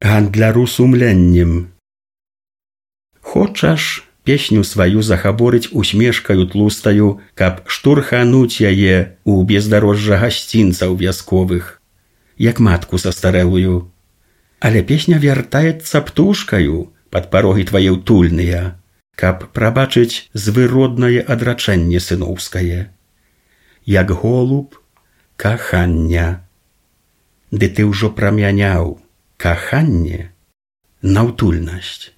гандляру сумленнем. Хочаш песню сваю захаборыць усмешкаю тлустаю, каб штурхануць яе у бездарожжа гасцінцаў вясковых, як матку састарэлую. Але песня вяртаецца птушкаю пад парогі твае ўтульныя, каб прабачыць звыроднае адрачэнне сыноўскае. Як голуб кахання. Ды ты ўжо прамяняў каханне на ўтульнасць.